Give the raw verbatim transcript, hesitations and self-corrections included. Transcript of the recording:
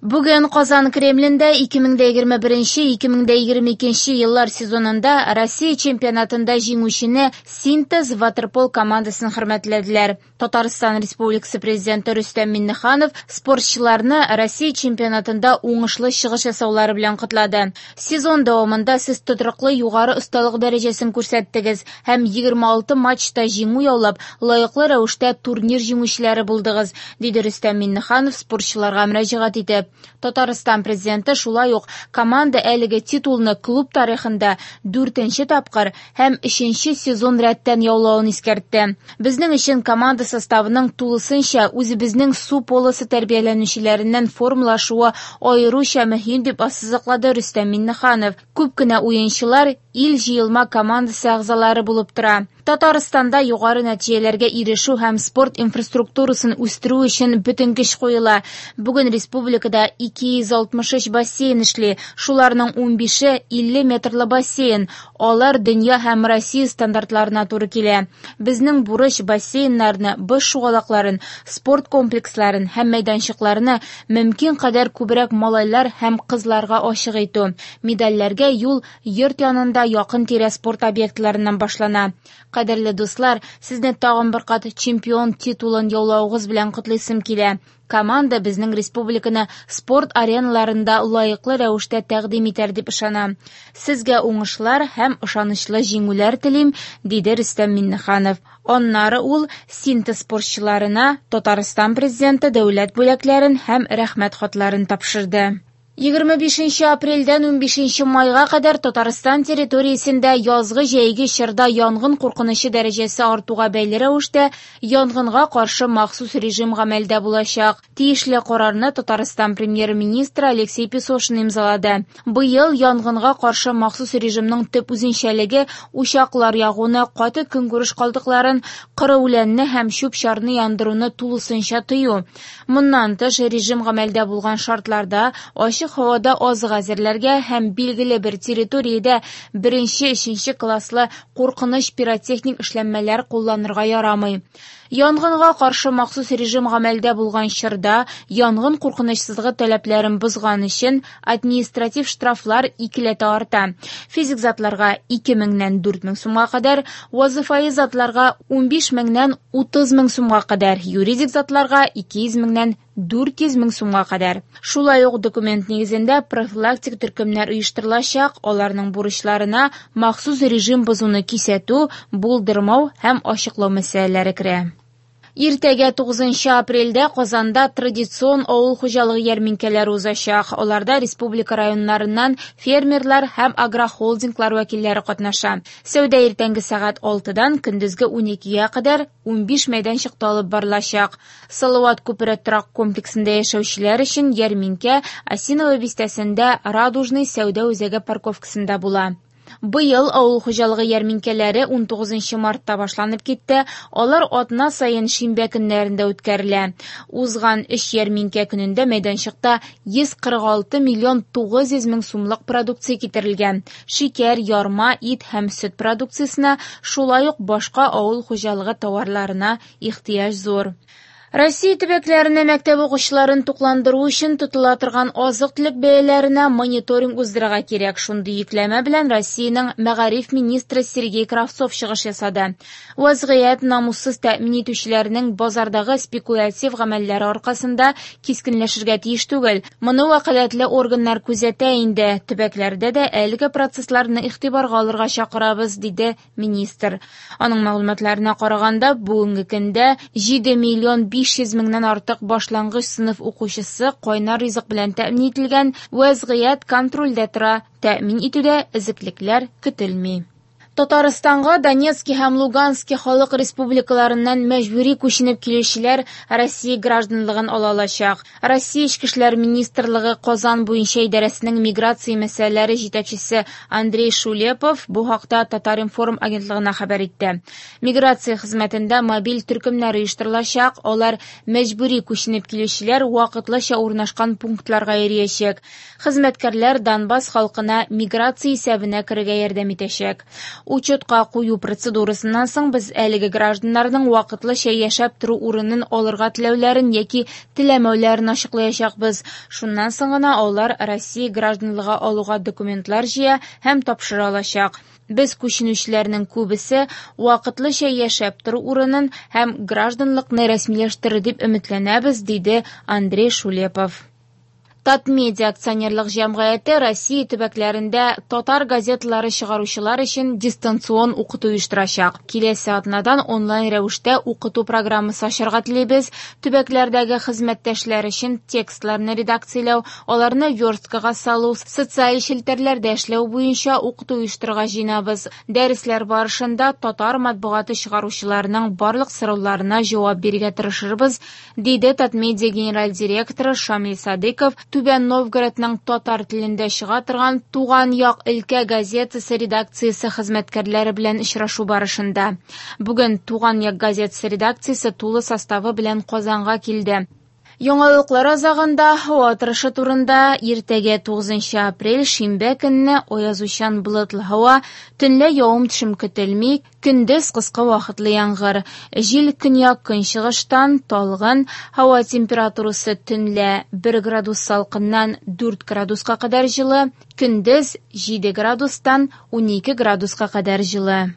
Бүген Казан Кремлендә ике мең дә егерме беренче - ике мең дә егерме икенче еллар сезонында Россия чемпионатында җиңүчене Синтез ватерпол командасын хөрмәтләделәр. Татарстан Республикасы Президенты Рөстәм Миңнеханов спортчыларны Россия чемпионатында уңышлы чыгыш ясаулары белән котлады. Сезон дәвамында сез тотрыклы югары осталык дәрәҗәсен күрсәттегез һәм егерме алты матчта җиңү яулап, лаеклы рәвештә турнир җиңүчеләре булдыгыз, диде Рөстәм Миңнеханов спортчыларга мөрәҗәгать итеп. Татарстан президенты шулай ук команда әлеге титулны клуб тарихында дүртенче тапкыр һәм өченче сезон рәттән яулавын искәртте. Безнең өчен команда составының тулысынча үзебезнең су полосы тәрбияләнүчеләреннән формалашуы аеруча мөһим дип ассызыклады Рөстәм Миңнеханов. Күп кенә уенчылар ил җыелма командасы әгъзалары булып тора. Татарстанда югары нәтиҗәләргә ирешү һәм спорт инфраструктурасын үстерү өчен бөтен көч куела. Бүген республикада ике йөз алтмыш өч бассейн эшли. Шуларның унбише илле метрлы бассейн. Алар дөнья һәм Россия стандартларына туры килә. Безнең бурыч бассейннарны, боз шугалакларын, спорт комплексларын һәм мәйданчыкларны мөмкин кадәр күбрәк малайлар һәм кызларга ачык итү. Медальләргә юл йорт янында якын тирә спорт объектларыннан башлана. Кадерле дуслар, сезне тагын бер кат чемпион титулын яулавыгыз белән котлыйсым килә. Команда безнең республиканы спорт ареналарында лаеклы рәвештә тәкъдим итәр дип ышанам. Сезгә уңышлар һәм ышанычлы җиңүләр телим, диде Рөстәм Миңнеханов. Аннары ул Синтез спортчыларына Татарстан президенты дәүләт бүләкләрен һәм рәхмәт хатларын тапшырды. Егерме бишенче апрельдән унбишенче майга кадәр Татарстан территориясендә язгы җәйге чорда янгын куркынычы дәрәҗәсе артуга бәйле рәвештә янгынга каршы махсус режим гамәлдә булачак. Тиешле карарны Татарстан премьер-министры Алексей Песошин имзалады. Быел янгынга каршы махсус режимның төп үзенчәлеге учаклар ягуны, каты көнкүреш калдыкларын, коры үләнне һәм чүп-чарны яндыруны тулысынча тыю. Моннан тыш, режим гамәлдә булган шартларда ачык һавада азык әзерләргә һәм билгеле бер территориядә беренче, өченче класслы куркыныч пиротехник эшләнмәләр кулланырга ярамый. Янгынга каршы махсус режим гамәлдә булган чорда янгын куркынычсызлыгы таләпләрен бозган өчен административ штрафлар икеләтә арта. Физик затларга ике меңнән дүрт мең сумга кадәр, вазифаи затларга унбиш меңнән утыз мең сумга кадәр, юридик затларга ике йөз меңнән дүрт йөз мең сумга кадәр. Шулай ук документ нигезендә профилактик төркемнәр оештырылачак, аларның бурычларына махсус режим бозуны кисәтү, булдырмау һәм ачыклау мәсьәләләре керә. Иртәгә тугызынчы апрельдә Казанда традицион авыл хуҗалыгы ярминкәләре узачак. Аларда республика районнарыннан фермерлар һәм агрохолдинглар вәкилләре катнаша. Сәүдә иртәнге сәгать алтыдан көндезге уникегә кадәр унбиш мәйданчыкта алып барылачак. Салават күпере торак комплексында яшәүчеләр өчен ярминкә Осиново бистәсендә Радужный сәүдә үзәге парковкасында була. Быел авыл хуҗалыгы ярминкәләре унтугызынчы мартта башланып китте. Алар атна саен шимбә көннәрендә үткәрелә. Узган өч ярминкә көнендә мәйданчыкта йөз кырык алты миллион тугыз йөз мең сумлык продукция китерелгән. Шикәр, ярма, ит һәм сөт продукциясенә, шулай ук башка авыл хуҗалыгы товарларына ихтыяҗ зур. Россия төбәкләренә мәктәп укучыларын тукландыру өчен тотыла торган азык-төлек бәяләренә мониторинг уздырырга кирәк. Шундый йөкләмә белән Россиянең мәгариф министры Сергей Кравцов чыгыш ясады. Вазгыять намуссыз тәэмин итүчеләрнең базардагы спекулятив гамәлләре аркасында кискенләшергә тиеш түгел. Моны вәкаләтле органнар күзәтә инде. Төбәкләрдә дә әлеге процессларны игътибарга алырга чакырабыз, диде министр. Аның мәгълүматларына караганда, бүгенге көндә җиде миллион биш йөз меңнән артык башлангыч сыйныф укучысы кайнар ризык белән тәэмин ителгән, вазгыять контрольдә тора, тәэмин итүдә эзеклекләр көтелми. Татарстанга Донецки һәм Лугански халык республикаларыннан мәҗбүри күченеп килүчеләр Россия гражданлыгын ала алачак. Россия Эчке эшләр министрлыгы Казан буенча идарәсенең миграция мәсьәләләре җитәкчесе Андрей Шулепов бу хакта Татар-информ агентлыгына хәбәр итте. Миграция хезмәтендә мобиль төркемнәр оештырылачак, алар мәҗбүри күченеп килүчеләр вакытлыча урнашкан пунктларга йөриячәк. Хезмәткәрләр Донбасс халкына миграция исәбенә керергә ярдәм итәчәк. Учетка кую процедурасыннан соң без әлеге гражданнарның вакытлыча яшәп тору урынын алырга теләүләрен яки теләмәүләрен ачыклаячакбыз. Шуннан соң гына алар Россия гражданлыгы алуга документлар җыя һәм тапшыра алачак. Без күченүчеләрнең күбесе вакытлыча яшәп тору урынын һәм гражданлыкны рәсмиләштерер дип өметләнәбез, диде Андрей Шулепов. Татмедиа акционерлык җәмгыяте Россия төбәкләрендә татар газеталары чыгаручылар өчен дистанцион укыту оештырачак. Киләсе атнадан онлайн рәвештә укыту программасы ачарга телибез. Төбәкләрдәге хезмәттәшләр өчен текстларны редакцияләү, аларны версткага салу, социаль челтәрләрдә эшләү буенча укыту оештырырга җыенабыз. Дәресләр барышында татар матбугаты чыгаручыларының барлык сорауларына җавап бирергә тырышырбыз, диде Татмедиа генераль директоры Шамил Садыков. Түбән Новгородның татар телендә чыга торган «Туган як» өлкә газетасы редакциясе хезмәткәрләре белән очрашу барышында. Бүген «Туган як» газетасы редакциясе тулы составы белән Казанга килде. Яңалыклар азагында һава торышы турында. Иртәгә тугызынчы апрель шимбә көнне аязучан болытлы һава, төнлә явым-төшем көтелми, көндез кыска вакытлы яңгыр. Җил көньяк-көнчыгыштан талгын, һава температурасы төнлә бер градус салкыннан дүрт градуска кадәр җылы, көндез җиде градустан унике градуска кадәр җылы.